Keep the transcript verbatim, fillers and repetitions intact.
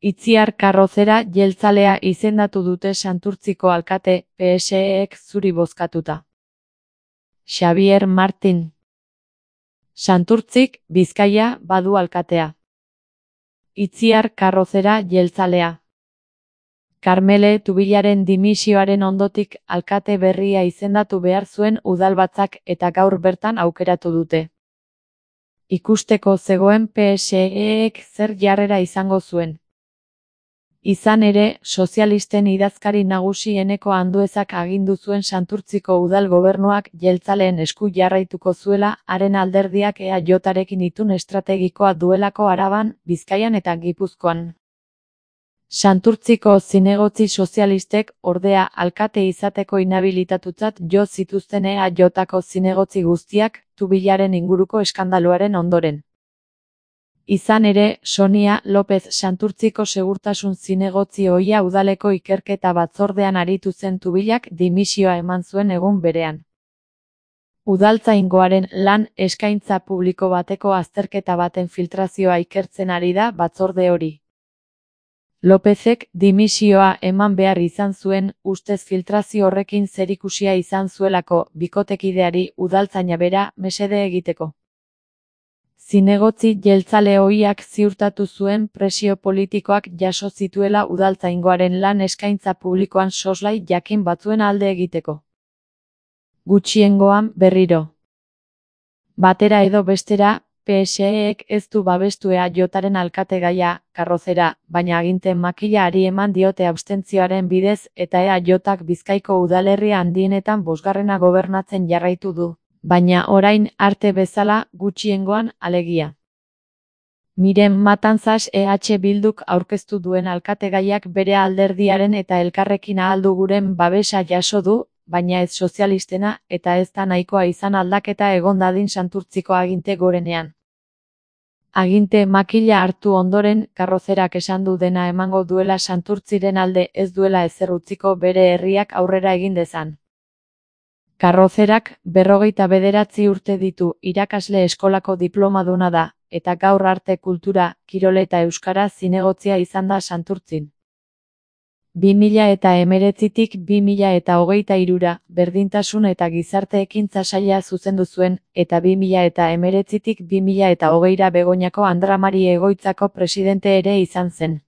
Itziar Karrozera jeltzalea izendatu dute Santurtziko alkate, P S Ek zuri bozkatuta. Xabier Martin. Santurtzik, Bizkaia, badu alkatea. Itziar Karrozera jeltzalea. Karmele Tubilaren dimisioaren ondotik alkate berria izendatu behar zuen udalbatzak eta gaur bertan aukeratu dute. Ikusteko zegoen P S Ek zer jarrera izango zuen. Izan ere, sozialisten idazkari nagusi Eneko Anduezak agindu zuen Santurtziko udal gobernuak jeltzaleen esku jarraituko zuela, haren alderdiak E A Jrekin itun estrategikoa duelako Araban, Bizkaian eta Gipuzkoan. Santurtziko zinegotzi sozialistek, ordea, alkate izateko inhabilitatutzat jo zituzten E A Jko zinegotzi guztiak, Tubilaren inguruko eskandaluaren ondoren. Izan ere, Sonia López Santurtziko segurtasun zinegotzi ohia udaleko ikerketa batzordean aritu zen Tubilak dimisioa eman zuen egun berean. Udaltzaingoaren lan eskaintza publiko bateko azterketa baten filtrazioa ikertzen ari da batzorde hori. Lópezek dimisioa eman behar izan zuen, ustez filtrazio horrekin zerikusia izan zuelako bikotekideari udaltzaina bera mesede egiteko. Zinegotzi jeltzale ohiak ziurtatu zuen presio politikoak jaso zituela udaltzaingoaren lan eskaintza publikoan soslai jakin batzuen alde egiteko. Gutxiengoan berriro. Batera edo bestera, P S Ek ez du babestu E A Jren alkategaia, Karrozera, baina aginte makilaari eman diote abstentzioaren bidez eta E A Jk Bizkaiko udalerri handienetan bosgarrena gobernatzen jarraitu du. Baina orain arte bezala gutxiengoan alegia. Miren Matanzas E H Bilduk aurkeztu duen alkategaiak bere alderdiaren eta Elkarrekin Ahaldu Guren babesa jaso du, baina ez sozialistena eta ez da nahikoa izan aldaketa egon dadin Santurtziko aginte gorenean. Aginte makila hartu ondoren, Karrozerak esan du dena emango duela Santurtziren alde ez duela ezer utziko bere herriak aurrera egin dezan. Karrozerak berrogeita bederatzi urte ditu, irakasle eskolako diplomaduna da, eta gaur arte kultura, kirol eta euskara zinegotzia izan da Santurtzin. bi mila eta hemeretzitik bi mila eta hogeita hirura, berdintasun eta gizarte ekintza saila zuzendu zuen, eta bi mila eta hemeretzitik bi mila eta hogeira Begoñako Andramari egoitzako presidente ere izan zen.